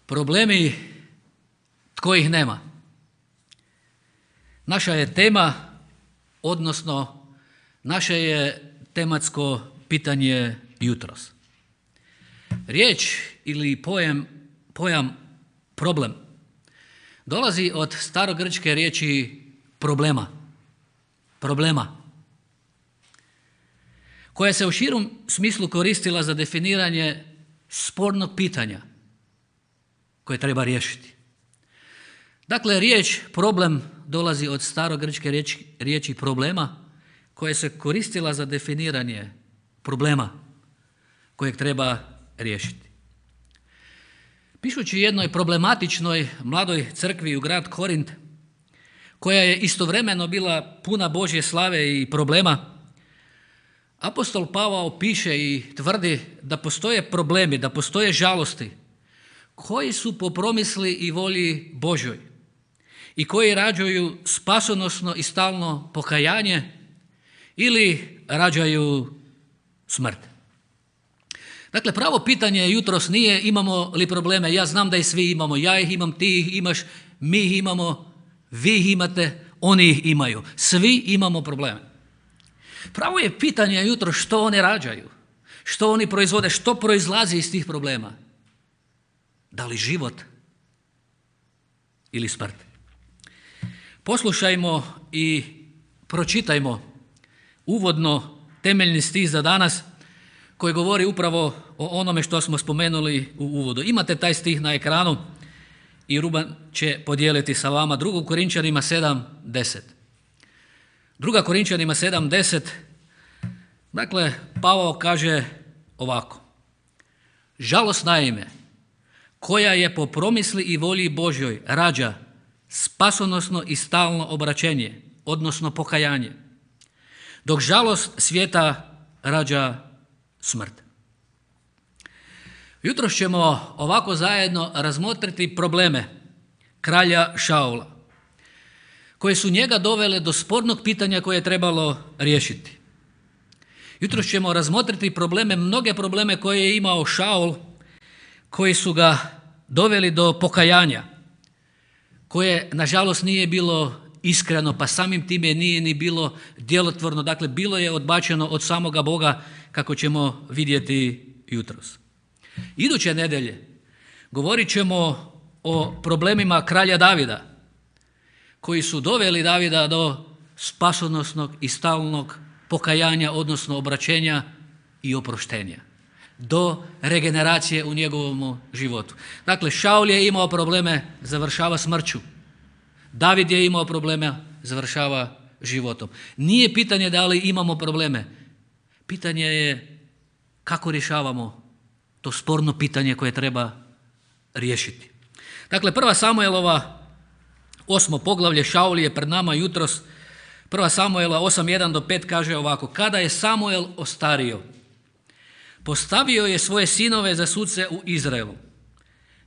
Problemi tko ih nema. Naša je tema, odnosno naše je tematsko pitanje jutros. Riječ ili pojam problem dolazi od starogrčke riječi problema, koja se u širom smislu koristila za definiranje spornog pitanja koje treba riješiti. Dakle, riječ problem dolazi od starogrčke riječi problema koja se koristila za definiranje problema kojeg treba riješiti. Pišući jednoj problematičnoj mladoj crkvi u grad Korint, koja je istovremeno bila puna Božje slave i problema, apostol Pavao piše i tvrdi da postoje problemi, da postoje žalosti koji su po promisli i volji Božjoj i koji rađaju spasonosno i stalno pokajanje ili rađaju smrt. Dakle, pravo pitanje jutros nije imamo li probleme. Ja znam da ih svi imamo, ja ih imam, ti ih imaš, mi ih imamo, vi ih imate, oni ih imaju. Svi imamo probleme. Pravo je pitanje jutro što oni rađaju, što oni proizvode, što proizlazi iz tih problema. Da li život ili smrt? Poslušajmo i pročitajmo uvodno temeljni stih za danas koji govori upravo o onome što smo spomenuli u uvodu. Imate taj stih na ekranu i Ruban će podijeliti sa vama 2. Korinčanima 7:10. 2. Korinčanima 7:10, dakle, Pavao kaže ovako: žalost naime, koja je po promisli i volji Božjoj rađa spasonosno i stalno obraćenje, odnosno pokajanje, dok žalost svijeta rađa smrt. Jutros ćemo ovako zajedno razmotriti probleme kralja Šaula, koje su njega dovele do spornog pitanja koje je trebalo riješiti. Jutros ćemo razmotriti mnoge probleme koje je imao Šaul, koji su ga doveli do pokajanja, koje nažalost nije bilo iskreno, pa samim time nije ni bilo djelotvorno, dakle bilo je odbačeno od samoga Boga, kako ćemo vidjeti jutros. Iduće nedjelje govorit ćemo o problemima kralja Davida, koji su doveli Davida do spasonosnog i stalnog pokajanja, odnosno obraćenja i oproštenja, do regeneracije u njegovom životu. Dakle, Šaul je imao probleme, završava smrću. David je imao probleme, završava životom. Nije pitanje da li imamo probleme. Pitanje je kako rješavamo to sporno pitanje koje treba riješiti. Dakle, 1. Samuelova 8. poglavlje, Šaul je pred nama jutros. 1. Samuela 8:1-5 kaže ovako: kada je Samuel ostario, postavio je svoje sinove za suce u Izraelu.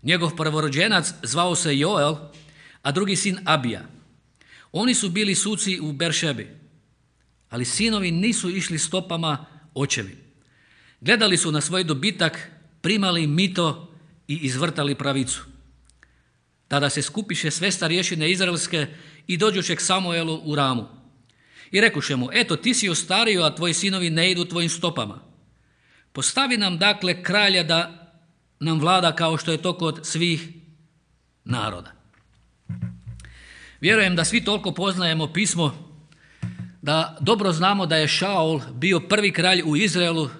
Njegov prvorođenac zvao se Joel, a drugi sin Abija. Oni su bili suci u Beršebi, ali sinovi nisu išli stopama očevi. Gledali su na svoj dobitak, primali mito i izvrtali pravicu. Tada se skupiše sve starješine izraelske i dođoše k Samuelu u Ramu. I rekuše mu: eto, ti si ostario, a tvoji sinovi ne idu tvojim stopama. Postavi nam dakle kralja da nam vlada kao što je to kod svih naroda. Vjerujem da svi toliko poznajemo pismo, da dobro znamo da je Šaul bio prvi kralj u Izraelu,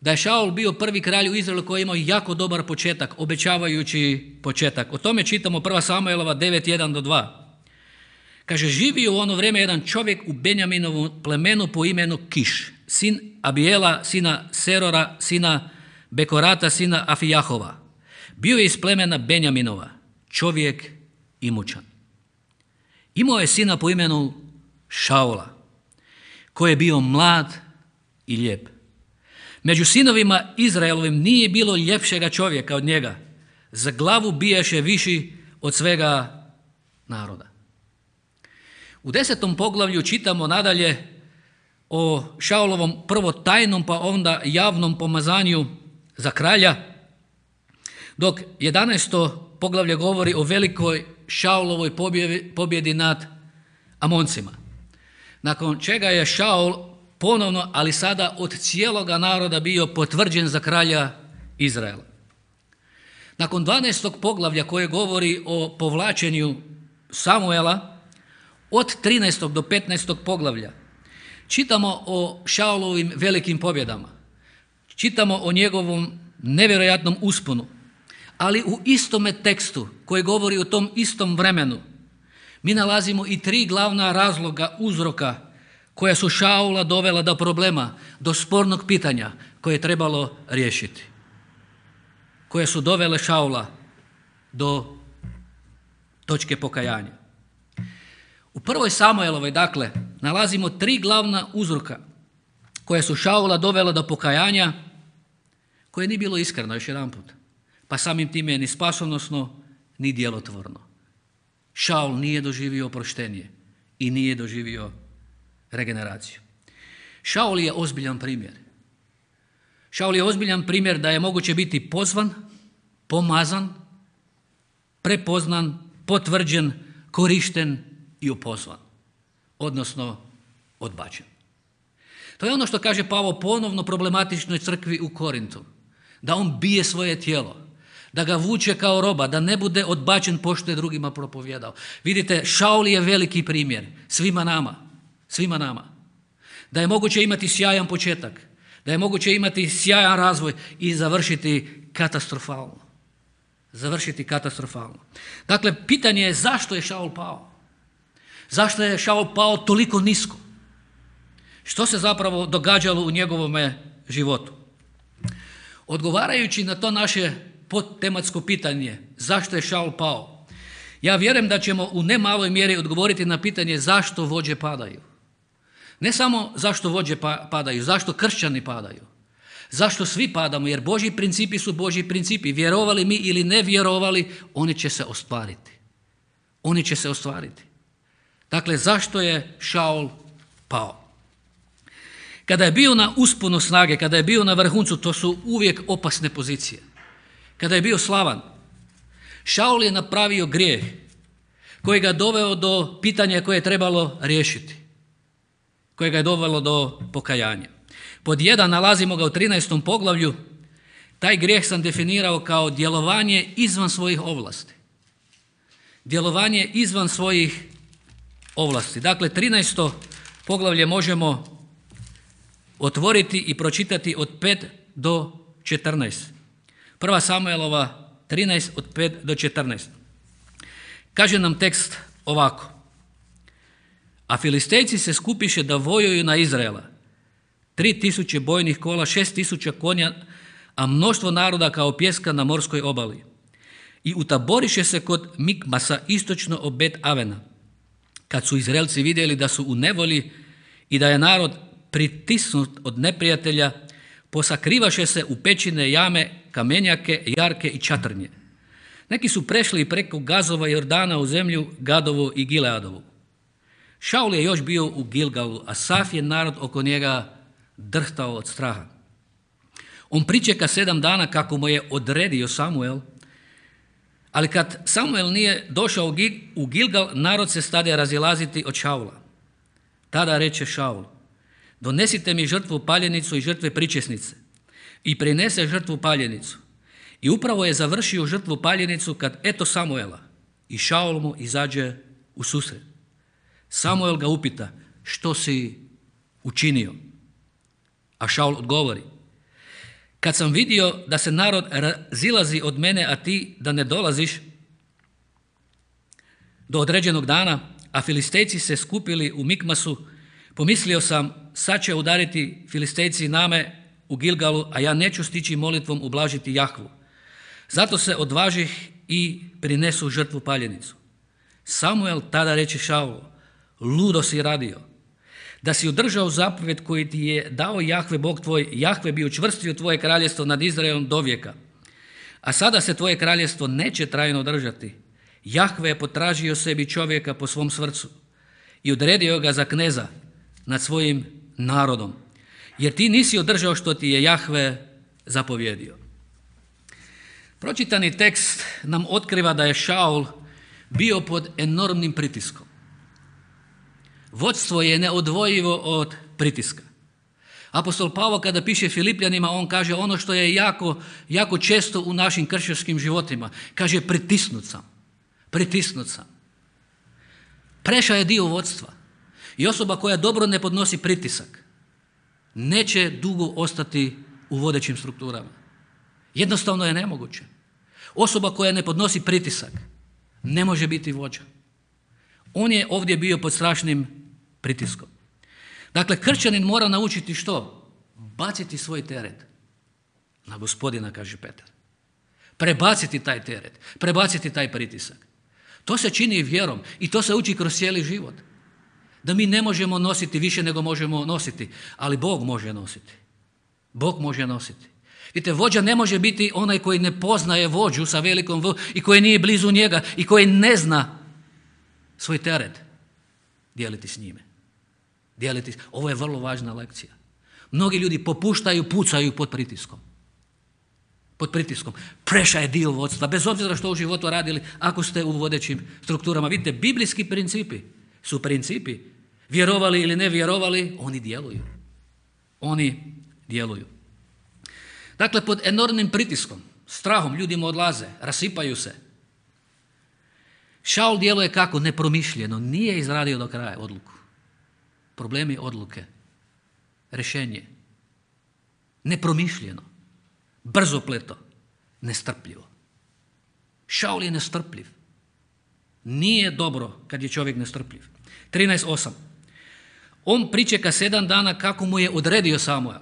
da je Šaul bio prvi kralj u Izraelu koji je imao jako dobar početak, obećavajući početak. O tome čitamo 1. Samuelova 9:1-2. Kaže: živio u ono vrijeme jedan čovjek u Benjaminovom plemenu po imenu Kiš, sin Abijela, sina Serora, sina Bekorata, sina Afijahova. Bio je iz plemena Benjaminova, čovjek imućan. Imao je sina po imenu Šaula, koji je bio mlad i lijep. Među sinovima Izraelovim nije bilo ljepšega čovjeka od njega. Za glavu bijaše viši od svega naroda. U 10. poglavlju čitamo nadalje o Šaulovom prvo tajnom pa onda javnom pomazanju za kralja. Dok 11. poglavlje govori o velikoj Šaulovoj pobjedi nad Amoncima. Nakon čega je Šaul ponovno, ali sada od cijeloga naroda, bio potvrđen za kralja Izraela. Nakon 12. poglavlja koje govori o povlačenju Samuela, od 13. do 15. poglavlja čitamo o Šaulovim velikim pobjedama. Čitamo o njegovom nevjerojatnom usponu. Ali u istome tekstu koji govori o tom istom vremenu mi nalazimo i 3 glavna razloga, uzroka koja su Šaula dovela do problema, do spornog pitanja koje je trebalo riješiti. Koje su dovele Šaula do točke pokajanja. U 1. Samuelovoj, dakle, nalazimo 3 glavna uzroka koje su Šaula dovela do pokajanja, koje nije bilo iskreno, još jedan put. Pa samim time ni spasonosno, ni djelotvorno. Šaul nije doživio oproštenje i nije doživio regeneraciju. Šaul je ozbiljan primjer. Šaul je ozbiljan primjer da je moguće biti pozvan, pomazan, prepoznan, potvrđen, korišten i opozvan, odnosno odbačen. To je ono što kaže Pavao ponovno problematičnoj crkvi u Korintu, da on bije svoje tijelo, da ga vuče kao roba, da ne bude odbačen pošto je drugima propovijedao. Vidite, Šaul je veliki primjer svima nama. Da je moguće imati sjajan početak, da je moguće imati sjajan razvoj i završiti katastrofalno. Dakle, pitanje je zašto je Šaul pao? Zašto je Šaul pao toliko nisko? Što se zapravo događalo u njegovome životu? Odgovarajući na to naše podtematsko pitanje, zašto je Šaul pao, ja vjerujem da ćemo u nemaloj mjeri odgovoriti na pitanje zašto vođe padaju. Ne samo zašto vođe padaju, zašto kršćani padaju, zašto svi padamo, jer Božji principi su Božji principi. Vjerovali mi ili ne vjerovali, oni će se ostvariti. Dakle, zašto je Šaul pao? Kada je bio na usponu snage, kada je bio na vrhuncu, to su uvijek opasne pozicije. Kada je bio slavan, Šaul je napravio grijeh koji ga doveo do pitanja koje je trebalo riješiti, koje ga je dovelo do pokajanja. Pod 1 nalazimo ga u 13. poglavlju. Taj grijeh sam definirao kao djelovanje izvan svojih ovlasti. Djelovanje izvan svojih ovlasti. Dakle, 13. poglavlje možemo otvoriti i pročitati od 5 do 14. 1. Samuelova 13 od 5 do 14. Kaže nam tekst ovako. A Filistejci se skupiše da vojuju na Izraela. 3000 bojnih kola, 6000 konja, a mnoštvo naroda kao pjeska na morskoj obali. I utaboriše se kod Mikmasa istočno od Bet Avena. Kad su Izraelci vidjeli da su u nevolji i da je narod pritisnut od neprijatelja, posakrivaše se u pećine, jame, kamenjake, jarke i čatrnje. Neki su prešli preko Gazova Jordana u zemlju Gadovu i Gileadovu. Šaul je još bio u Gilgalu, a sav je narod oko njega drhtao od straha. On pričeka 7 dana kako mu je odredio Samuel, ali kad Samuel nije došao u Gilgal, narod se stade razilaziti od Šaula. Tada reče Šaul, donesite mi žrtvu paljenicu i žrtve pričesnice. I prinese žrtvu paljenicu. I upravo je završio žrtvu paljenicu kad eto Samuela i Šaul mu izađe u susret. Samuel ga upita, što si učinio? A Šaul odgovori, kad sam vidio da se narod razilazi od mene, a ti da ne dolaziš do određenog dana, a Filistejci se skupili u Mikmasu, pomislio sam, sad će udariti Filistejci name u Gilgalu, a ja neću stići molitvom ublažiti Jahvu. Zato se odvažih i prinesu žrtvu paljenicu. Samuel tada reče Šaulu, ludo si radio. Da si održao zapovjed koji ti je dao Jahve Bog tvoj, Jahve bi učvrstio tvoje kraljestvo nad Izraelom do vijeka. A sada se tvoje kraljestvo neće trajno držati. Jahve je potražio sebi čovjeka po svom srcu i odredio ga za kneza nad svojim narodom. Jer ti nisi održao što ti je Jahve zapovjedio. Pročitani tekst nam otkriva da je Šaul bio pod enormnim pritiskom. Vodstvo je neodvojivo od pritiska. Apostol Pavao kada piše Filipljanima, on kaže ono što je jako često u našim kršćanskim životima. Kaže pritisnut sam. Preša je dio vodstva. I osoba koja dobro ne podnosi pritisak neće dugo ostati u vodećim strukturama. Jednostavno je nemoguće. Osoba koja ne podnosi pritisak ne može biti vođa. On je ovdje bio pod strašnim pritiskom. Dakle, kršćanin mora naučiti što? Baciti svoj teret na Gospodina, kaže Petar. Prebaciti taj teret, prebaciti taj pritisak. To se čini vjerom i to se uči kroz cijeli život. Da mi ne možemo nositi više nego možemo nositi, ali Bog može nositi. Bog može nositi. Vidite, vođa ne može biti onaj koji ne poznaje vođu sa velikom V i koji nije blizu njega i koji ne zna svoj teret dijeliti s njime. Ovo je vrlo važna lekcija. Mnogi ljudi popuštaju, pucaju pod pritiskom. Preša je dio vodstva, bez obzira što u životu radili, ako ste u vodećim strukturama. Vidite, biblijski principi su principi. Vjerovali ili ne vjerovali, oni djeluju. Dakle, pod enormnim pritiskom, strahom, ljudima odlaze, rasipaju se. Šaul djeluje kako? Nepromišljeno, nije izradio do kraja odluku. Problemi odluke, rješenje, nepromišljeno, brzopleto, nestrpljivo. Šaul je nestrpljiv. Nije dobro kad je čovjek nestrpljiv. 13.8. On pričeka 7 dana kako mu je odredio Samuel.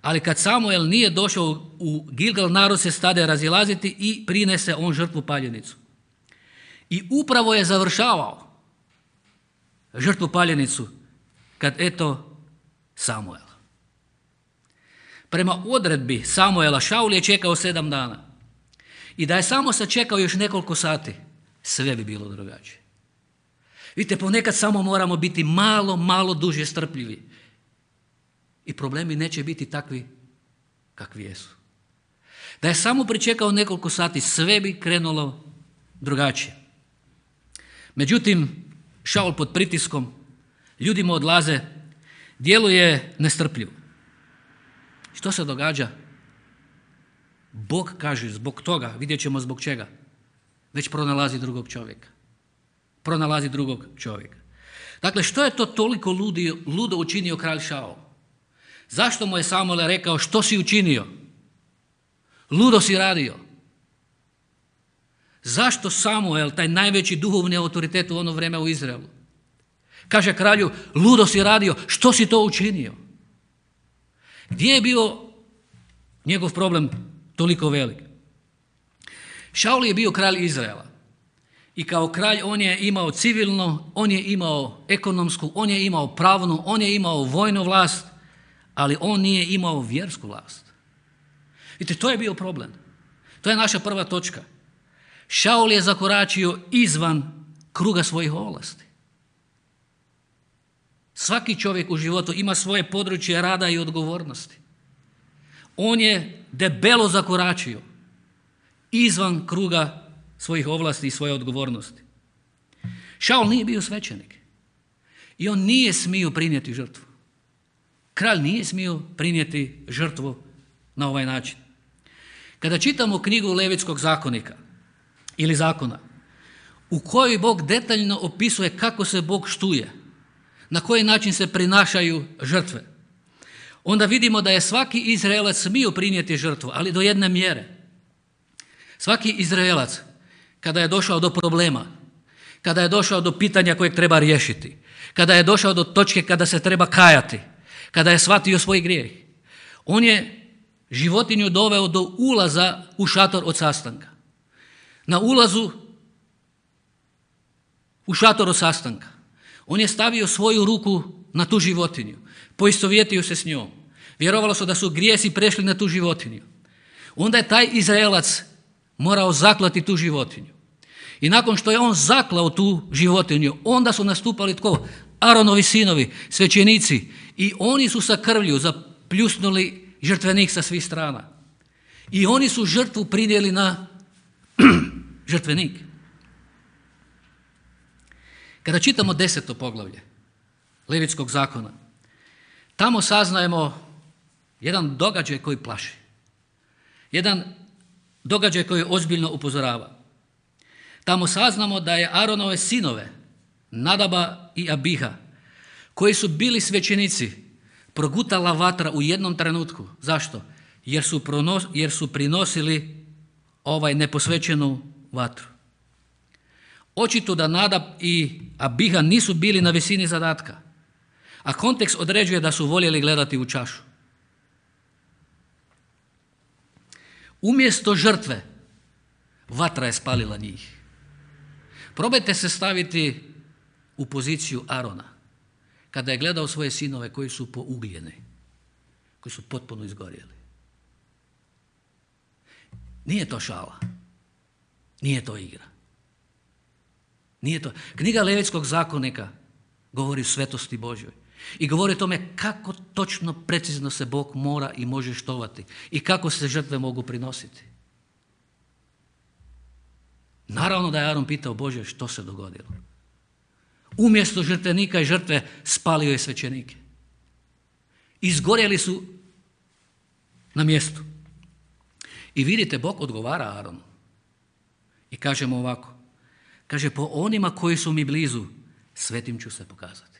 Ali kad Samuel nije došao u Gilgal, narod se stade razilaziti i prinese on žrtvu paljenicu. I upravo je završavao žrtvu paljenicu kad eto Samuel. Prema odredbi Samuela, Šaul je čekao 7 dana. I da je samo sačekao još nekoliko sati, sve bi bilo drugačije. Vidite, ponekad samo moramo biti malo duže strpljivi. I problemi neće biti takvi kakvi jesu. Da je samo pričekao nekoliko sati, sve bi krenulo drugačije. Međutim, Šaul pod pritiskom, ljudima odlaze, djeluje nestrpljivo. Što se događa? Bog kaže zbog toga, vidjet ćemo zbog čega, već pronalazi drugog čovjeka. Dakle, što je to toliko ludo učinio kralj Šaul? Zašto mu je Samuel rekao što si učinio? Ludo si radio. Zašto Samuel, taj najveći duhovni autoritet u ono vrijeme u Izraelu, kaže kralju, ludo si radio, što si to učinio? Gdje je bio njegov problem toliko velik? Šaul je bio kralj Izraela i kao kralj on je imao civilno, on je imao ekonomsku, on je imao pravnu, on je imao vojnu vlast, ali on nije imao vjersku vlast. Vidite, to je bio problem. To je naša prva točka. Šaul je zakoračio izvan kruga svojih ovlasti. Svaki čovjek u životu ima svoje područje rada i odgovornosti. On je debelo zakoračio izvan kruga svojih ovlasti i svoje odgovornosti. Šaul nije bio svećenik i on nije smio prinijeti žrtvu. Kralj nije smio prinijeti žrtvu na ovaj način. Kada čitamo knjigu Levitskog zakonika ili zakona, u kojoj Bog detaljno opisuje kako se Bog štuje, na koji način se prinašaju žrtve, onda vidimo da je svaki Izraelac smio prinijeti žrtvu, ali do jedne mjere. Svaki Izraelac, kada je došao do problema, kada je došao do pitanja kojeg treba riješiti, kada je došao do točke kada se treba kajati, kada je shvatio svoj grijeh, on je životinju doveo do ulaza u šator od sastanka. Na ulazu u šator od sastanka on je stavio svoju ruku na tu životinju, poistovjetio se s njom. Vjerovalo se da su grijesi prešli na tu životinju. Onda je taj Izraelac morao zaklati tu životinju. I nakon što je on zaklao tu životinju, onda su nastupali tko? Aronovi sinovi, svećenici. I oni su sa krvlju zapljusnuli žrtvenik sa svih strana. I oni su žrtvu prinijeli na žrtvenik. Kada čitamo 10. poglavlje Levitskog zakona, tamo saznajemo jedan događaj koji plaši. Jedan događaj koji ozbiljno upozorava. Tamo saznamo da je Aronove sinove, Nadaba i Abiha, koji su bili svećenici, progutala vatra u jednom trenutku. Zašto? Jer su prinosili neposvećenu vatru. Očito da Nadab i Abiha nisu bili na visini zadatka, a kontekst određuje da su voljeli gledati u čašu. Umjesto žrtve, vatra je spalila njih. Probajte se staviti u poziciju Arona, kada je gledao svoje sinove koji su pougljeni, koji su potpuno izgorjeli. Nije to šala, nije to igra. Nije to. Knjiga Levitskog zakonika govori o svetosti Božjoj i govori o tome kako točno, precizno se Bog mora i može štovati i kako se žrtve mogu prinositi. Naravno da je Aron pitao Bože što se dogodilo. Umjesto žrtvenika i žrtve spalio je svećenike. Izgorjeli su na mjestu. I vidite, Bog odgovara Aronu. I kaže mu ovako. Kaže, po onima koji su mi blizu, svetim ću se pokazati.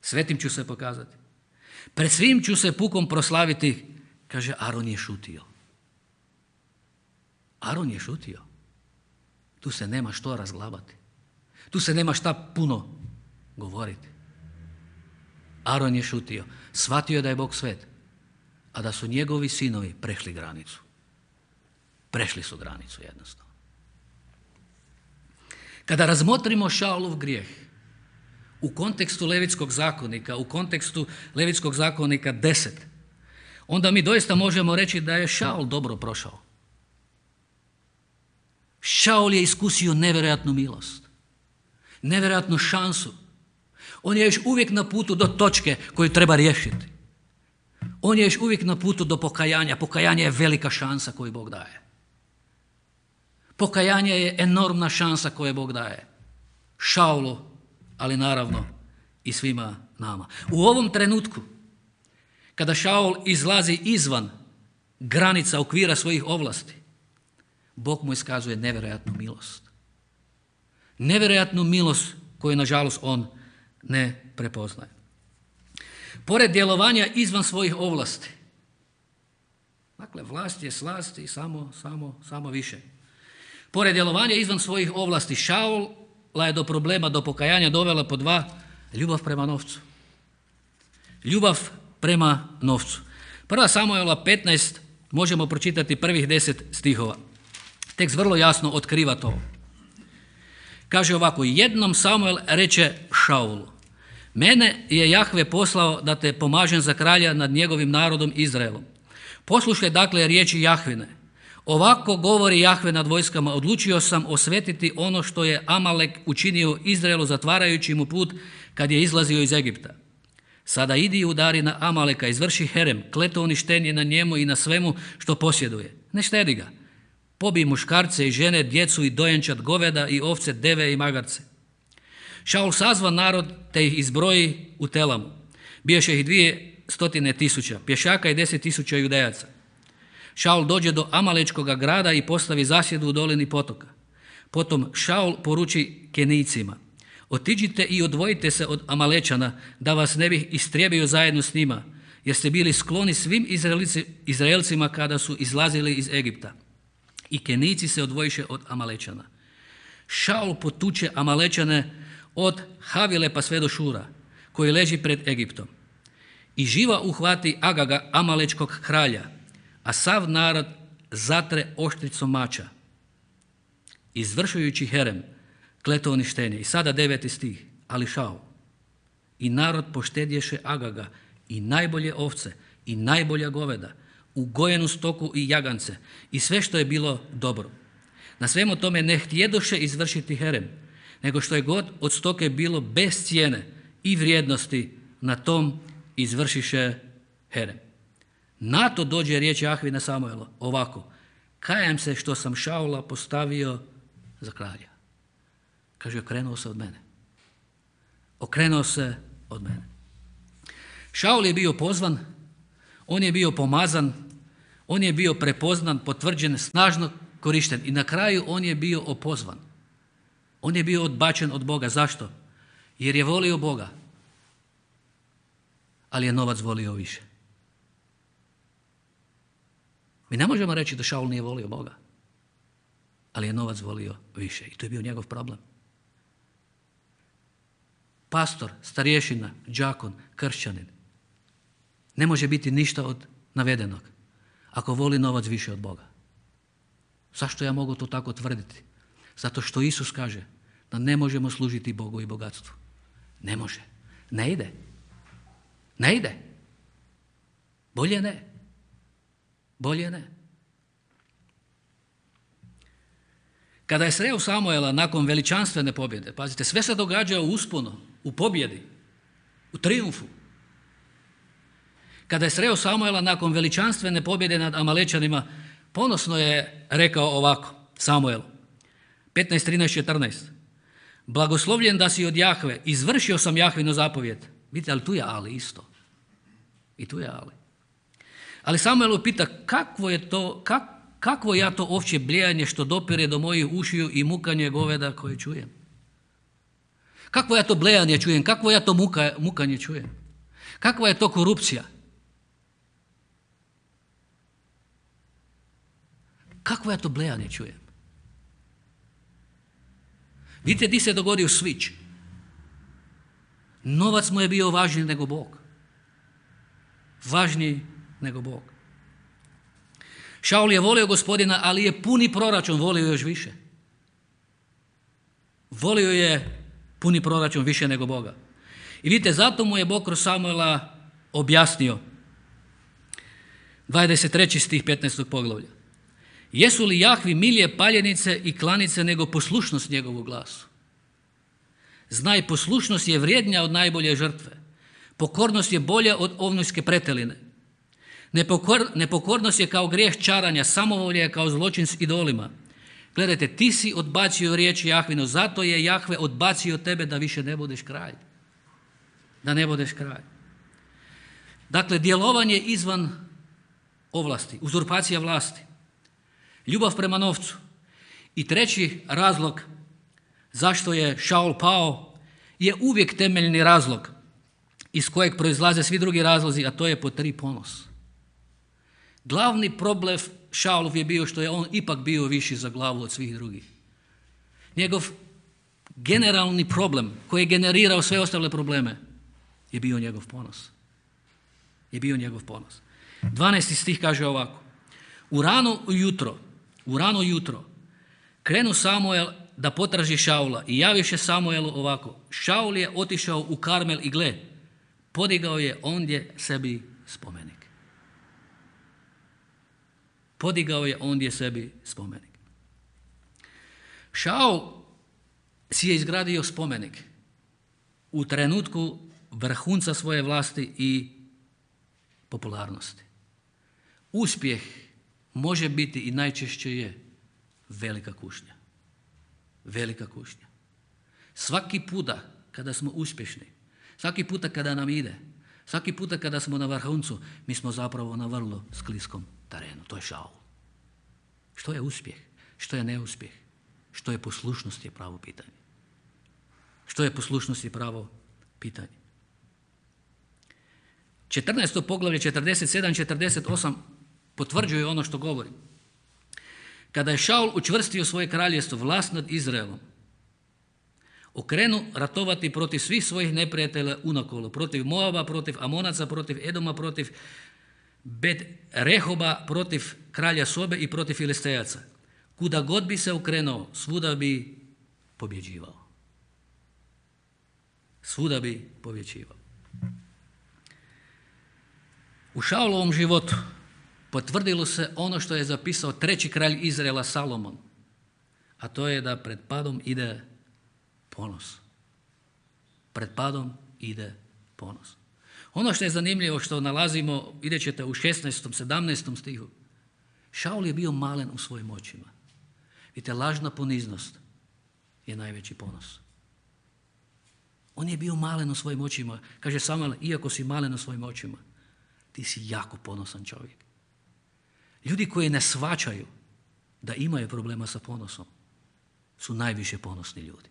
Svetim ću se pokazati. Pred svim ću se pukom proslaviti. Kaže, Aron je šutio. Aron je šutio. Tu se nema što razglabati. Tu se nema šta puno govoriti. Aron je šutio. Shvatio je da je Bog svet, a da su njegovi sinovi prešli granicu. Prešli su granicu jednostavno. Kada razmotrimo Šaulov grijeh u kontekstu Levitskog zakonika, u kontekstu Levitskog zakonika 10, onda mi doista možemo reći da je Šaul dobro prošao. Šaul je iskusio nevjerojatnu milost, nevjerojatnu šansu. On je još uvijek na putu do točke koju treba riješiti. On je još uvijek na putu do pokajanja. Pokajanje je velika šansa koju Bog daje. Pokajanje je enormna šansa koju Bog daje Šaulu, ali naravno i svima nama. U ovom trenutku, kada Šaul izlazi izvan granica okvira svojih ovlasti, Bog mu iskazuje nevjerojatnu milost. Nevjerojatnu milost koju, nažalost, on ne prepoznaje. Pored djelovanja izvan svojih ovlasti, dakle, vlast je slast i samo više. Pored djelovanja izvan svojih ovlasti, Šaula je do problema, do pokajanja dovela po dva: ljubav prema novcu. Ljubav prema novcu. 1. Samuela 15 možemo pročitati prvih 10 stihova. Tekst vrlo jasno otkriva to. Kaže ovako: jednom Samuel reče Šaulu: mene je Jahve poslao da te pomažem za kralja nad njegovim narodom Izraelom. Poslušaj dakle riječi Jahvine. Ovako govori Jahve nad vojskama: odlučio sam osvetiti ono što je Amalek učinio Izraelu zatvarajući mu put kad je izlazio iz Egipta. Sada idi i udari na Amaleka, izvrši herem, kletouništenje na njemu i na svemu što posjeduje. Ne štedi ga. Pobij muškarce i žene, djecu i dojenčad, goveda i ovce, deve i magarce. Šaul sazva narod te ih izbroji u Telamu. Biješe ih 200.000 pješaka i 10.000 judejaca. Šaul dođe do Amalečkoga grada i postavi zasjedu u dolini potoka. Potom Šaul poruči Kenijcima: otiđite i odvojite se od Amalečana, da vas ne bih istrijebio zajedno s njima, jer ste bili skloni svim Izraelcima kada su izlazili iz Egipta. I Kenijci se odvojiše od Amalečana. Šaul potuče Amalečane od Havile pa sve do Šura, koji leži pred Egiptom. I živa uhvati Agaga, Amalečkog kralja, a sav narod zatre oštricom mača, izvršujući herem, kletouništenje. I sada 9. stih. Ali Šaul i narod poštedješe Agaga i najbolje ovce i najbolja goveda, ugojenu stoku i jagance i sve što je bilo dobro. Na svemu tome ne htjedoše izvršiti herem, nego što je god od stoke bilo bez cijene i vrijednosti, na tom izvršiše herem. Na to dođe riječ Jahvina Samuelu ovako: kajem se što sam Šaula postavio za kralja. Kaže, okrenuo se od mene. Okrenuo se od mene. Šaul je bio pozvan, on je bio pomazan, on je bio prepoznan, potvrđen, snažno korišten i na kraju on je bio opozvan. On je bio odbačen od Boga. Zašto? Jer je volio Boga, ali je novac volio više. Mi ne možemo reći da Šaul nije volio Boga, ali je novac volio više i to je bio njegov problem. Pastor, starješina, đakon, kršćanin ne može biti ništa od navedenog ako voli novac više od Boga. Zašto ja mogu to tako tvrditi? Zato što Isus kaže da ne možemo služiti Bogu i bogatstvu. Ne može. Ne ide. Ne ide. Bolje ne. Bolje ne. Kada je sreo Samuela nakon veličanstvene pobjede, pazite, sve se događa u usponu, u pobjedi, u trijumfu. Kada je sreo Samuela nakon veličanstvene pobjede nad Amalečanima, ponosno je rekao ovako Samuel, 15, 13, 14. Blagoslovljen da si od Jahve, izvršio sam Jahvinu zapovjed. Vidite, ali tu je ali isto. I tu je ali. Ali Samuel pita, kakvo ja to ovčje bljejanje što dopire do mojih ušiju i mukanje goveda koje čujem? Kakvo ja to blejanje čujem? Kakvo ja to mukanje čujem? Kakva je to korupcija? Kakvo ja to blejanje čujem? Vidite di se dogodio switch. Novac mu je bio važniji nego Bog. Važniji nego Bog. Šaul je volio Gospodina, ali je puni proračun volio još više. Volio je puni proračun više nego Boga. I vidite, zato mu je Bog kroz Samuela objasnio. 23. stih 15. poglavlja. Jesu li Jahvi milije paljenice i klanice nego poslušnost njegovu glasu? Znaj, poslušnost je vrijednija od najbolje žrtve. Pokornost je bolja od ovnojske preteline. Nepokornost je kao grijeh čaranja, samovolje je kao zločin s idolima. Gledajte, ti si odbacio riječ Jahvinu, zato je Jahve odbacio tebe da više ne budeš kralj. Da ne budeš kralj. Dakle, djelovanje izvan ovlasti, uzurpacija vlasti, ljubav prema novcu. I treći razlog zašto je Šaul pao je uvijek temeljni razlog iz kojeg proizlaze svi drugi razlozi, a to je pod 3 ponos. Glavni problem Šaulov je bio što je on ipak bio viši za glavu od svih drugih. Njegov generalni problem koji je generirao sve ostale probleme je bio njegov ponos. Je bio njegov ponos. 12. stih kaže ovako. U rano jutro krenu Samuel da potraži Šaula i javiše Samuelu ovako. Šaul je otišao u Karmel i gle, podigao je ondje sebi spomenik. Podigao je ondje sebi spomenik. Šaul si je izgradio spomenik u trenutku vrhunca svoje vlasti i popularnosti. Uspjeh može biti i najčešće je velika kušnja. Velika kušnja. Svaki puta kada smo uspješni, svaki puta kada nam ide, svaki puta kada smo na vrhuncu, mi smo zapravo na vrlo skliskom terenu. To je Šaul. Što je uspjeh? Što je neuspjeh? Što je poslušnost je pravo pitanje. Što je poslušnost je pravo pitanje. 14. poglavlje 47-48 potvrđuje ono što govorim. Kada je Šaul učvrstio svoje kraljevstvo, vlast nad Izraelom, okrenu ratovati protiv svih svojih neprijatelja unakolo, protiv Moaba, protiv Amonaca, protiv Edoma, protiv Bet Rehoba, protiv kralja Sobe i protiv Filistejaca. Kuda god bi se okrenuo, svuda bi pobjeđivao. Svuda bi pobjeđivao. U Šaulovom životu potvrdilo se ono što je zapisao 3. kralj Izraela Salomon, a to je da pred padom ide ponos. Pred padom ide ponos. Ono što je zanimljivo što nalazimo, vidjet ćete u 16. 17. stihu. Šaul je bio malen u svojim očima. Vidite, lažna poniznost je najveći ponos. On je bio malen u svojim očima. Kaže Samuel, iako si malen u svojim očima, ti si jako ponosan čovjek. Ljudi koji ne shvaćaju da imaju problema sa ponosom su najviše ponosni ljudi.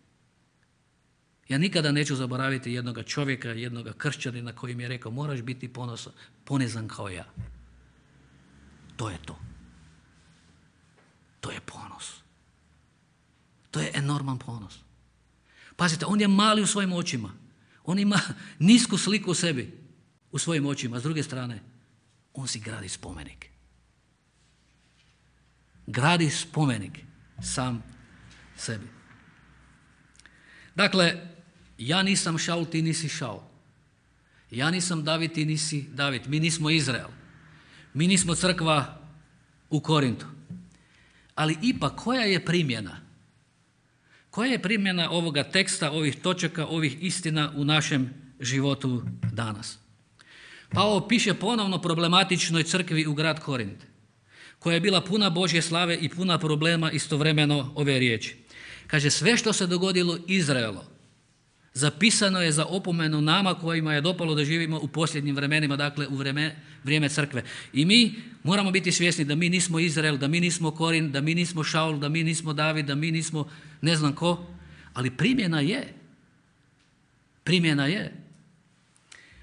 Ja nikada neću zaboraviti jednoga čovjeka, jednoga kršćanina koji mi je rekao moraš biti ponizan kao ja. To je to. To je ponos. To je enorman ponos. Pazite, on je mali u svojim očima. On ima nisku sliku u sebi, u svojim očima. S druge strane, on si gradi spomenik. Gradi spomenik sam sebi. Dakle, ja nisam Šaul, ti nisi Šaul. Ja nisam David, ti nisi David. Mi nismo Izrael. Mi nismo crkva u Korintu. Ali ipak, koja je primjena? Koja je primjena ovoga teksta, ovih točaka, ovih istina u našem životu danas? Pavao piše ponovno problematičnoj crkvi u grad Korint, koja je bila puna Božje slave i puna problema istovremeno ove riječi. Kaže, sve što se dogodilo Izraelu zapisano je za opomenu nama kojima je dopalo da živimo u posljednjim vremenima, dakle u vrijeme crkve. I mi moramo biti svjesni da mi nismo Izrael, da mi nismo Korin, da mi nismo Šaul, da mi nismo David, da mi nismo ne znam ko, ali primjena je. Primjena je.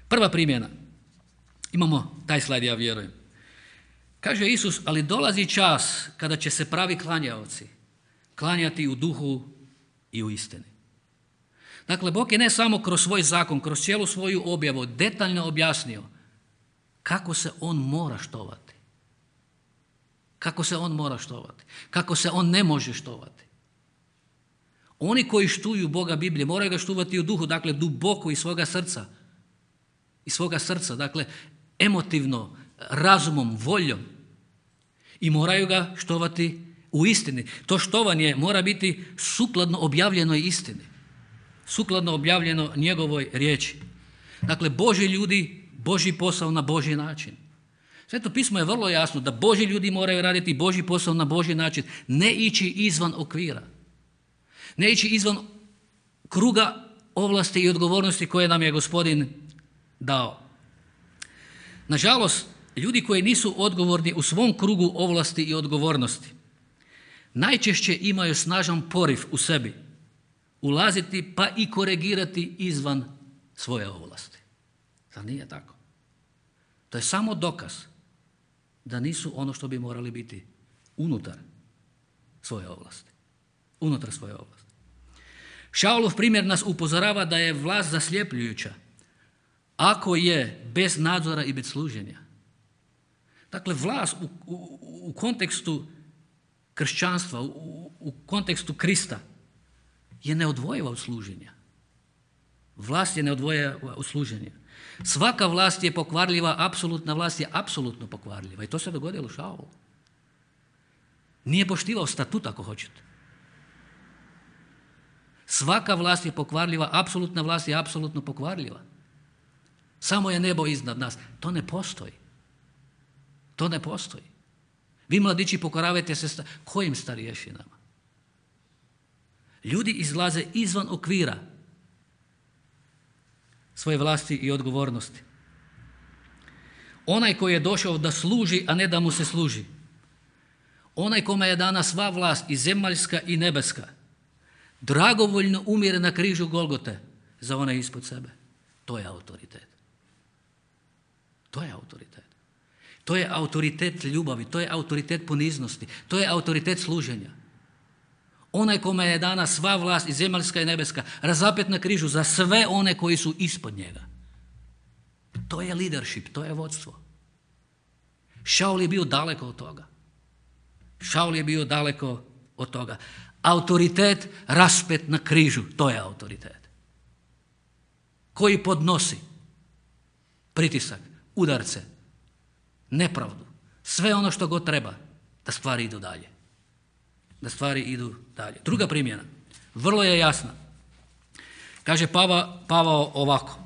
Prva primjena. Imamo taj slajd, ja vjerujem. Kaže Isus, ali dolazi čas kada će se pravi klanjaoci klanjati u duhu i u istini. Dakle, Bog je ne samo kroz svoj zakon, kroz cijelu svoju objavu detaljno objasnio kako se on mora štovati. Kako se on mora štovati. Kako se on ne može štovati. Oni koji štuju Boga Biblije moraju ga štovati u duhu, dakle duboko iz svoga srca. Iz svoga srca, dakle emotivno, razumom, voljom. I moraju ga štovati u istini. To štovanje mora biti sukladno objavljenoj istini. Sukladno objavljeno njegovoj riječi. Dakle, Božji ljudi, Božji posao na Božji način. Sveto pismo je vrlo jasno da Božji ljudi moraju raditi Božji posao na Božji način. Ne ići izvan okvira. Ne ići izvan kruga ovlasti i odgovornosti koje nam je Gospodin dao. Nažalost, ljudi koji nisu odgovorni u svom krugu ovlasti i odgovornosti najčešće imaju snažan poriv u sebi ulaziti pa i korigirati izvan svoje ovlasti. Zar nije tako? To je samo dokaz da nisu ono što bi morali biti unutar svoje ovlasti. Unutar svoje ovlasti. Šaulov primjer nas upozorava da je vlast zasljepljujuća ako je bez nadzora i bez služenja. Dakle, vlast u kontekstu kršćanstva, u kontekstu Krista je neodvojiva od služenja. Vlast je neodvojiva od služenja. Svaka vlast je pokvarljiva, apsolutna vlast je apsolutno pokvarljiva. I to se dogodilo Šaulu. Nije poštivao statut, ako hoćete. Svaka vlast je pokvarljiva, apsolutna vlast je apsolutno pokvarljiva. Samo je nebo iznad nas. To ne postoji. To ne postoji. Vi mladići pokoravajte se kojim starješinama? Ljudi izlaze izvan okvira svoje vlasti i odgovornosti. Onaj koji je došao da služi, a ne da mu se služi. Onaj kome je dana sva vlast i zemaljska i nebeska, dragovoljno umire na križu Golgote za one ispod sebe. To je autoritet. To je autoritet. To je autoritet ljubavi, to je autoritet poniznosti, to je autoritet služenja. Onaj kome je dana sva vlast i zemaljska i nebeska, razapet na križu za sve one koji su ispod njega. To je leadership, to je vodstvo. Šaul je bio daleko od toga. Šaul je bio daleko od toga. Autoritet raspet na križu, to je autoritet. Koji podnosi pritisak, udarce, nepravdu, sve ono što god treba da stvari idu dalje. Da stvari idu dalje. Druga primjena, vrlo je jasna. Kaže Pavao ovako.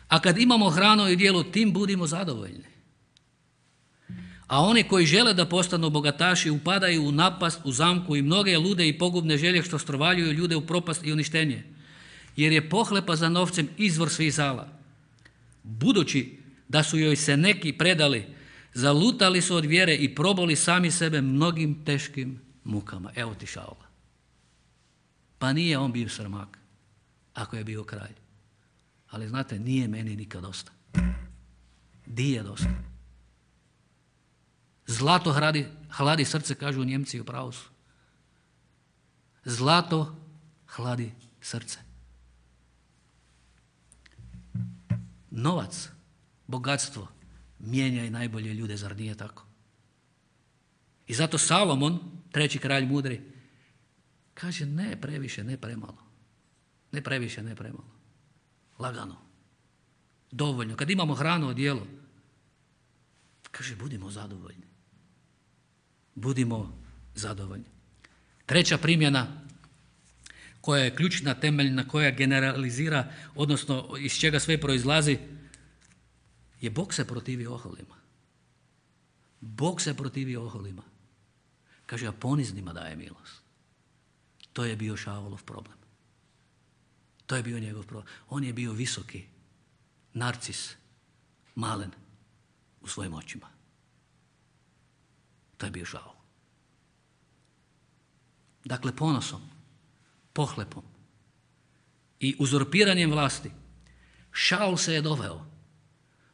A kad imamo hranu i djelo, tim budimo zadovoljni. A oni koji žele da postanu bogataši upadaju u napast, u zamku i mnoge lude i pogubne želje što strovaljuju ljude u propast i uništenje. Jer je pohlepa za novcem izvor svih zala. Budući da su joj se neki predali, zalutali su od vjere i probali sami sebe mnogim teškim mukama. Evo ti Šaula. Pa nije on bio srmak, ako je bio kralj. Ali znate, nije meni nikad dosta. Di je dosta? Zlato hladi srce, kažu Njemci, u pravu su. Zlato hladi srce. Novac, bogatstvo, mijenja i najbolje ljude, zar nije tako? I zato Salomon, 3. kralj mudri, kaže ne previše, ne premalo. Ne previše, ne premalo. Lagano. Dovoljno. Kad imamo hranu, odjelo, kaže budimo zadovoljni. Budimo zadovoljni. 3. primjena koja je ključna, temeljna, koja generalizira, odnosno iz čega sve proizlazi, je Bog se protivi oholima. Bog se protivi oholima. Kaže, a poniznima daje milost. To je bio Šaulov problem. To je bio njegov problem. On je bio visoki, narcis, malen u svojim očima. To je bio Šaul. Dakle, ponosom, pohlepom i uzurpiranjem vlasti Šaul se je doveo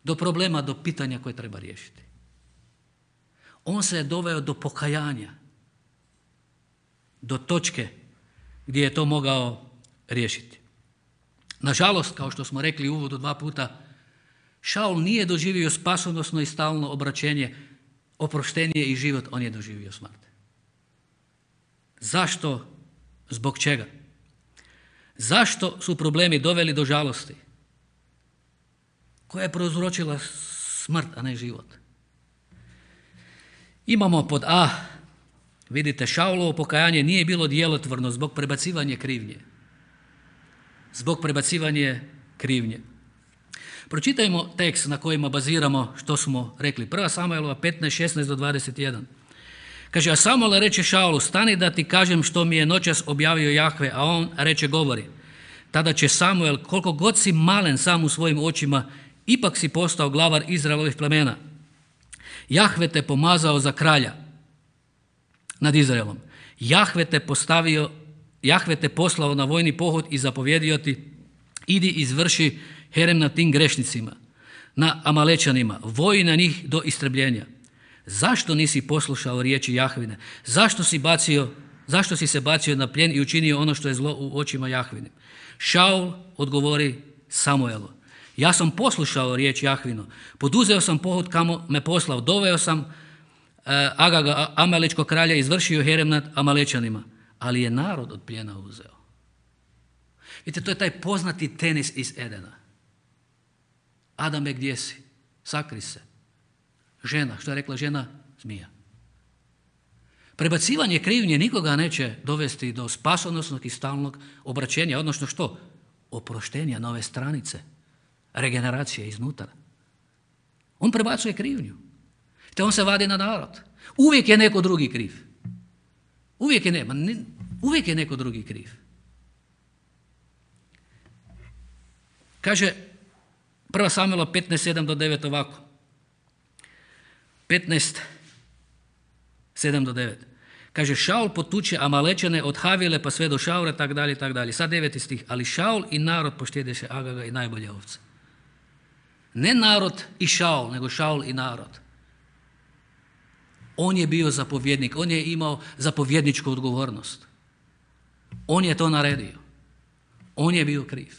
do problema, do pitanja koje treba riješiti. On se je doveo do pokajanja, do točke gdje je to mogao riješiti. Nažalost, kao što smo rekli u uvodu 2 puta, Šaul nije doživio spasonosno i stalno obraćenje, oproštenje i život, on je doživio smrt. Zašto? Zbog čega? Zašto su problemi doveli do žalosti? Koja je prouzročila smrt, a ne život? Imamo pod A, vidite, Šaulovo pokajanje nije bilo djelotvorno zbog prebacivanja krivnje. Zbog prebacivanja krivnje. Pročitajmo tekst na kojima baziramo što smo rekli. 1. Samuelova 15, 16 do 21. Kaže, a Samuel reče Šaulu, stani da ti kažem što mi je noćas objavio Jahve, a on reče, govori. Tada će Samuel, koliko god si malen sam u svojim očima, ipak si postao glavar Izraelovih plemena. Jahve te pomazao za kralja nad Izraelom. Jahve te poslao na vojni pohod i zapovjedio ti, idi izvrši herem nad tim grešnicima, na Amalečanima, voji na njih do istrebljenja. Zašto nisi poslušao riječi Jahvine? Zašto si se bacio na plijen i učinio ono što je zlo u očima Jahvine? Šaul odgovori Samuelu, ja sam poslušao riječ Jahvinu, poduzeo sam pohod kamo me poslao, doveo sam Agaga, Amalečkog kralja, izvršio herem nad Amalečanima, ali je narod od plijena uzeo. Vidite, to je taj poznati tenis iz Edena. Adame, gdje si? Sakri se. Žena, što je rekla žena? Zmija. Prebacivanje krivnje nikoga neće dovesti do spasonosnog i stalnog obraćenja, odnosno što? Oproštenja, nove stranice, regeneracije iznutra. On prebacuje krivnju. Te on se vadi na narod. Uvijek je neko drugi kriv. Uvijek je neko drugi kriv. Kaže 1. Samuela 15, 7 do 9 ovako. 15, 7 do 9. Kaže, Šaul potuče Amalečane od Havile pa sve do Šaura, tak dalje, tak dalje. Sad 9. stih. Ali Šaul i narod poštjedeše Agaga i najbolje ovce. Ne narod i Šaul, nego Šaul i narod. On je bio zapovjednik, on je imao zapovjedničku odgovornost. On je to naredio. On je bio kriv.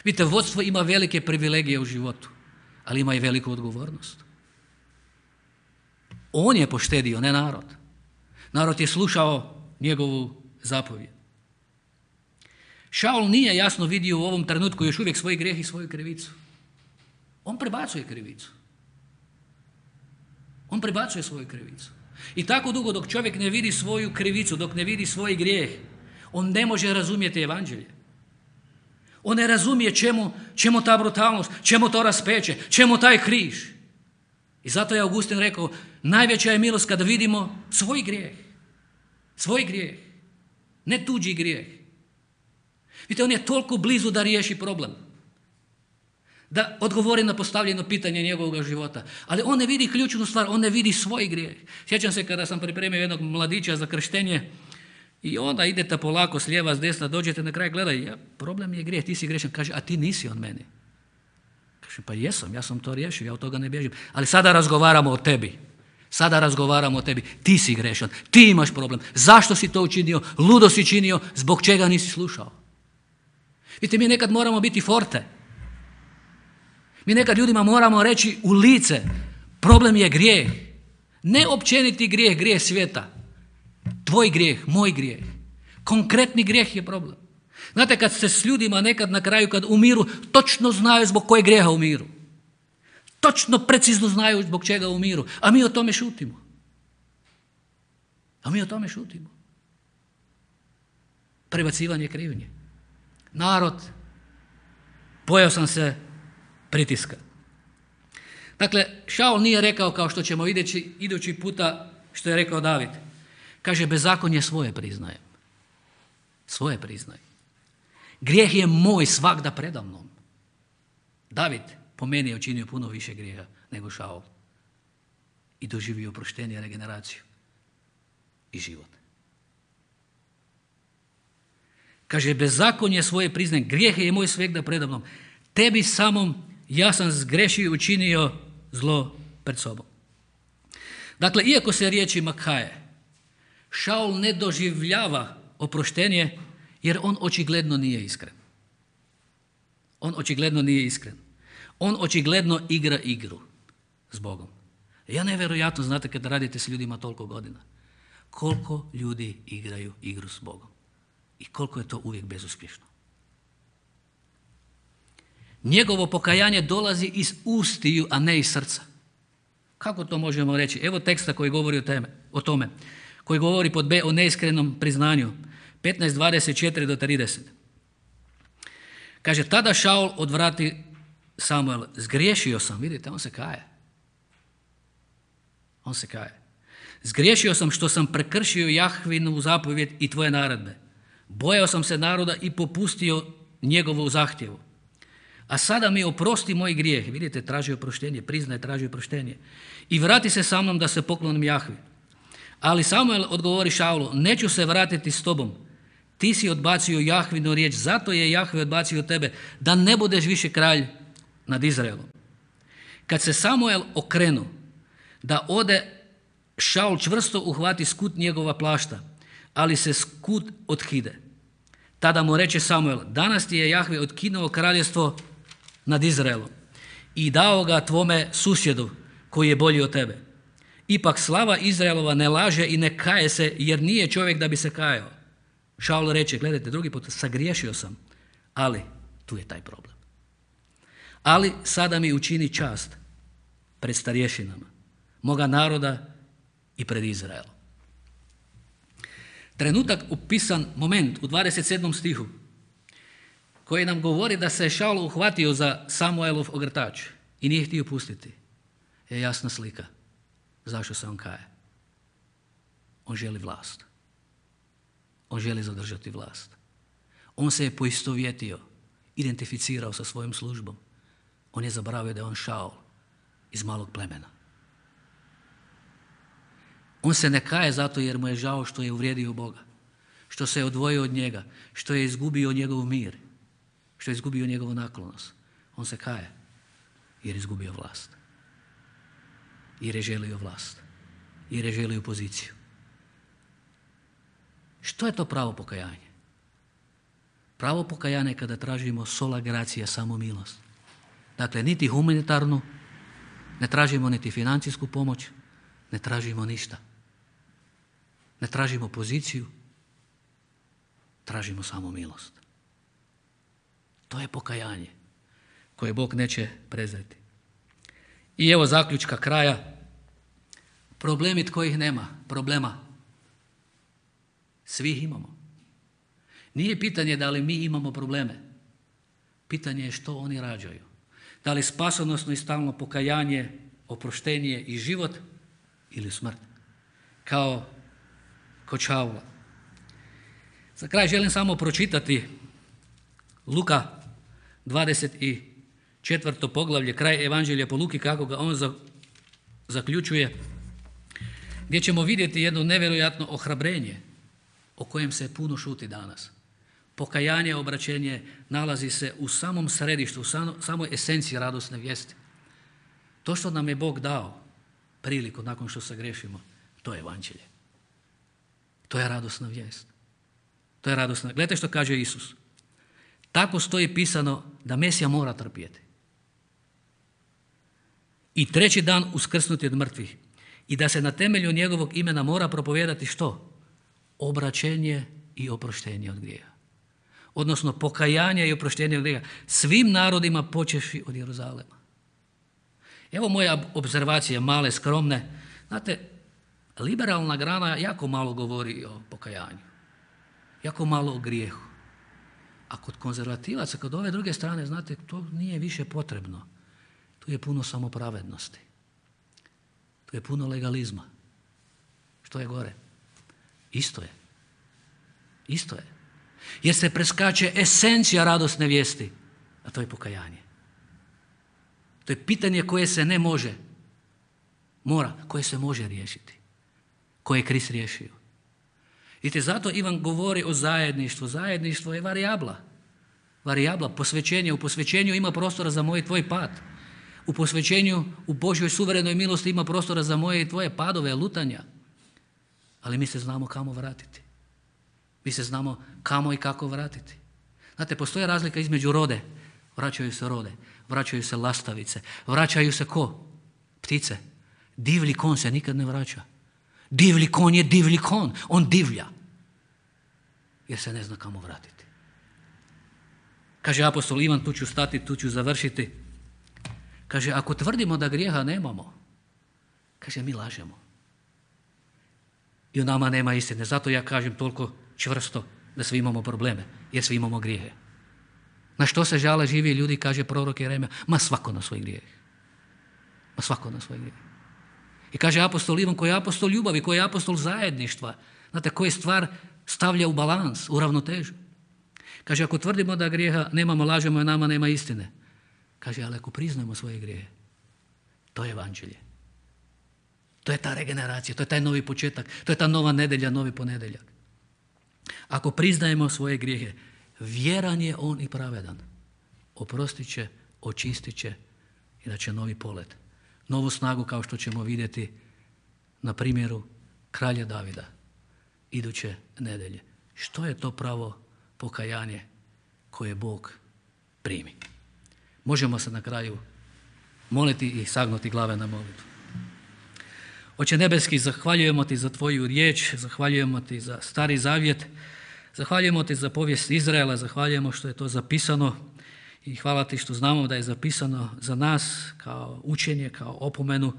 Vidite, vodstvo ima velike privilegije u životu, ali ima i veliku odgovornost. On je poštedio, ne narod. Narod je slušao njegovu zapovjed. Šaul nije jasno vidio u ovom trenutku još uvijek svoj grijeh i svoju krivicu. On prebacuje krivicu. On prebacuje svoju krivicu. I tako dugo dok čovjek ne vidi svoju krivicu, dok ne vidi svoj grijeh, on ne može razumjeti evanđelje. On ne razumije čemu ta brutalnost, čemu to raspeće, čemu taj križ. I zato je Augustin rekao, najveća je milost kada vidimo svoj grijeh. Svoj grijeh, ne tuđi grijeh. Vidite, on je toliko blizu da riješi problem. Da odgovori na postavljeno pitanje njegovog života. Ali on ne vidi ključnu stvar, on ne vidi svoj grijeh. Sjećam se kada sam pripremio jednog mladića za krštenje i onda idete polako s lijeva, s desna, dođete na kraj, gledaj, problem je grijeh, ti si grešan. Kaže, a ti nisi on meni. Kaže, pa jesam, ja sam to riješio, ja od toga ne bježim. Ali sada razgovaramo o tebi. Sada razgovaramo o tebi. Ti si grešan, ti imaš problem. Zašto si to učinio? Ludo si činio, zbog čega nisi slušao? Vidite, mi nekad moramo biti forte. Mi nekad ljudima moramo reći u lice, problem je grijeh. Ne općeniti grijeh, grijeh svijeta. Tvoj grijeh, moj grijeh. Konkretni grijeh je problem. Znate, kad se s ljudima nekad na kraju, kad umiru, točno znaju zbog kojeg grijeha umiru. Točno, precizno znaju zbog čega umiru. A mi o tome šutimo. Prebacivanje krivnje. Narod, bojao sam se pritiska. Dakle, Šaul nije rekao kao što ćemo idući puta što je rekao David. Kaže, bezakonje svoje priznajem. Svoje priznajem. Grijeh je moj svagda predamnom. David po meni je učinio puno više grijeha nego Šaul. I doživio oproštenje, regeneraciju i život. Kaže, bezakonje svoje priznajem. Grijeh je moj svagda predamnom. Tebi samom ja sam zgrešio i učinio zlo pred sobom. Dakle, iako se riječima kaje, Šaul ne doživljava oproštenje jer on očigledno nije iskren. On očigledno igra igru s Bogom. Ja nevjerojatno, znate, kad radite s ljudima toliko godina, koliko ljudi igraju igru s Bogom i koliko je to uvijek bezuspješno. Njegovo pokajanje dolazi iz ustiju, a ne iz srca. Kako to možemo reći? Evo teksta koji govori o tome, koji govori pod B o neiskrenom priznanju. 15:24 do 30. Kaže, tada Šaul odvrati Samuel, zgriješio sam, vidite, on se kaje. Zgriješio sam što sam prekršio Jahvinu zapovjed i tvoje naredbe. Bojao sam se naroda i popustio njegovu zahtjevu. A sada mi oprosti moj grijeh. Vidite, traži oproštenje, priznaje, traži oproštenje. I vrati se sa mnom da se poklonim Jahvi. Ali Samuel odgovori Šaulu, neću se vratiti s tobom. Ti si odbacio Jahvinu riječ, zato je Jahve odbacio tebe, da ne budeš više kralj nad Izraelom. Kad se Samuel okrenu da ode, Šaul čvrsto uhvati skut njegova plašta, ali se skut otkide. Tada mu reče Samuel, danas ti je Jahve otkinuo kraljevstvo nad Izraelom i dao ga tvome susjedu koji je bolji od tebe. Ipak slava Izraelova ne laže i ne kaje se, jer nije čovjek da bi se kajao. Šaul reče, gledajte, drugi put, sagriješio sam, ali tu je taj problem. Ali sada mi učini čast pred starješinama, moga naroda i pred Izraelom. Trenutak upisan moment u 27. stihu koji nam govori da se Šaul uhvatio za Samuelov ogrtač i nije htio pustiti, je jasna slika zašto se on kaje. On želi vlast. On želi zadržati vlast. On se je poistovjetio, identificirao sa svojom službom. On je zaboravio da je on Šaul iz malog plemena. On se ne kaje zato jer mu je žao što je uvrijedio Boga, što se je odvojio od njega, što je izgubio njegov mir, što je izgubio njegovu naklonost. On se kaje jer je izgubio vlast. Jer je želio vlast. Jer je želio poziciju. Što je to pravo pokajanje? Pravo pokajanje je kada tražimo sola gracia, samo milost. Dakle, niti humanitarnu, ne tražimo niti financijsku pomoć, ne tražimo ništa. Ne tražimo poziciju, tražimo samo milost. To je pokajanje koje Bog neće prezreti. I evo zaključka kraja. Problemi tko ih nema, problema. Svi ih imamo. Nije pitanje da li mi imamo probleme, Pitanje je što oni rađaju. Da li spasonosno i stalno pokajanje, oproštenje i život ili smrt? Kao kod Šaula. Za kraj želim samo pročitati Luka 24. poglavlje, kraj Evanđelja po Luki, kako ga on zaključuje, gdje ćemo vidjeti jedno nevjerojatno ohrabrenje o kojem se puno šuti danas. Pokajanje, obraćenje nalazi se u samom središtu, u samoj esenciji radosne vijesti. To što nam je Bog dao priliku nakon što se grešimo, to je Evanđelje. To je radosna vijest. To je radosna. Gledajte što kaže Isus. Tako stoji pisano da Mesija mora trpjeti. I 3. dan uskrsnuti od mrtvih. I da se na temelju njegovog imena mora propovijedati što? Obraćenje i oproštenje od grijeha. Odnosno pokajanje i oproštenje od grijeha svim narodima počevši od Jeruzalema. Evo moje obzervacije, male, skromne. Znate, liberalna grana jako malo govori o pokajanju. Jako malo o grijehu. A kod konzervativaca, kod ove druge strane, znate, to nije više potrebno. Tu je puno samopravednosti. Tu je puno legalizma. Što je gore? Isto je. Isto je. Jer se preskače esencija radosne vijesti, a to je pokajanje. To je pitanje koje se ne može, koje se može riješiti. Koje je Krist riješio. Vidite, zato Ivan govori o zajedništvu. Zajedništvo je varijabla. Varijabla, posvećenje. U posvećenju ima prostora za moj i tvoj pad. U posvećenju, u Božjoj suverenoj milosti ima prostora za moje i tvoje padove, lutanja. Ali mi se znamo kamo vratiti. Mi se znamo kamo i kako vratiti. Znate, postoji razlika između rode. Vraćaju se lastavice. Vraćaju se ko? Ptice. Divlji kon se nikad ne vraća. Divlji kon je divlji kon. On divlja. Jer se ne zna kamo vratiti. Kaže apostol Ivan, tu ću stati, tu ću završiti. Kaže, ako tvrdimo da grijeha nemamo, kaže, mi lažemo. I u nama nema istine. Zato ja kažem toliko čvrsto da svi imamo probleme, jer svi imamo grijehe. Na što se žale živi ljudi, kaže prorok Jeremija, ma svako na svoj grijeh. Ma svako na svoj grijeh. I kaže apostol Ivan, koji je apostol ljubavi, koji je apostol zajedništva, znate, koji stvar stavlja u balans, u ravnotežu. Kaže, ako tvrdimo da grijeha nemamo, lažemo i nama nema istine. Kaže, ali ako priznamo svoje grijehe, to je Evanđelje. To je ta regeneracija, to je taj novi početak, to je ta nova nedjelja, novi ponedjeljak. Ako priznajemo svoje grijehe, vjeran je on i pravedan. Oprostit će, očistit će i da će novi polet. Novu snagu kao što ćemo vidjeti na primjeru kralja Davida iduće nedjelje. Što je to pravo pokajanje koje Bog primi? Možemo se na kraju moliti i sagnuti glave na molitvu. Oče nebeski, zahvaljujemo ti za tvoju riječ, zahvaljujemo ti za Stari Zavjet, zahvaljujemo ti za povijest Izraela, zahvaljujemo što je to zapisano i hvala ti što znamo da je zapisano za nas kao učenje, kao opomenu,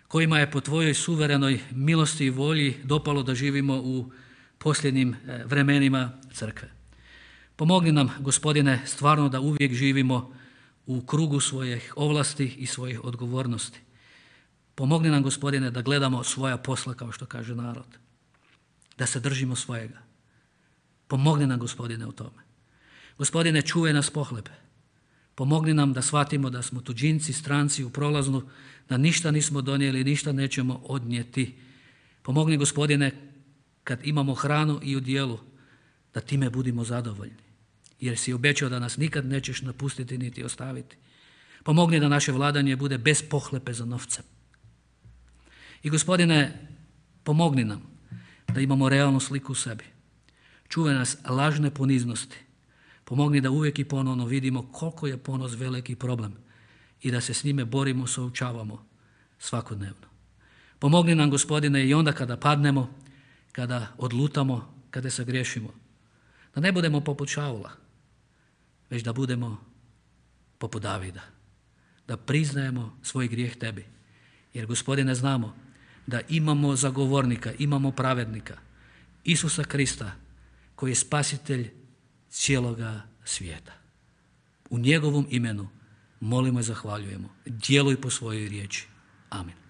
kojima je po tvojoj suverenoj milosti i volji dopalo da živimo u posljednjim vremenima crkve. Pomogni nam, Gospodine, stvarno da uvijek živimo u krugu svojih ovlasti i svojih odgovornosti. Pomogni nam, Gospodine, da gledamo svoja posla, kao što kaže narod. Da se držimo svojega. Pomogni nam, Gospodine, u tome. Gospodine, čuvaj nas pohlepe. Pomogni nam da shvatimo da smo tuđinci, stranci u prolaznu, da ništa nismo donijeli, ništa nećemo odnijeti. Pomogni, Gospodine, kad imamo hranu i u dijelu, da time budimo zadovoljni. Jer si obećao da nas nikad nećeš napustiti niti ostaviti. Pomogni da naše vladanje bude bez pohlepe za novcem. I Gospodine, pomogni nam da imamo realnu sliku u sebi. Čuvaj nas lažne poniznosti. Pomogni da uvijek i ponovno vidimo koliko je ponos veliki problem i da se s njime borimo, suočavamo svakodnevno. Pomogni nam, Gospodine, i onda kada padnemo, kada odlutamo, kada se griješimo, da ne budemo poput Šaula, već da budemo poput Davida, da priznajemo svoj grijeh tebi. Jer, Gospodine, znamo da imamo zagovornika, imamo pravednika, Isusa Krista, koji je spasitelj cijeloga svijeta. U njegovom imenu molimo i zahvaljujemo. Djeluj po svojoj riječi. Amen.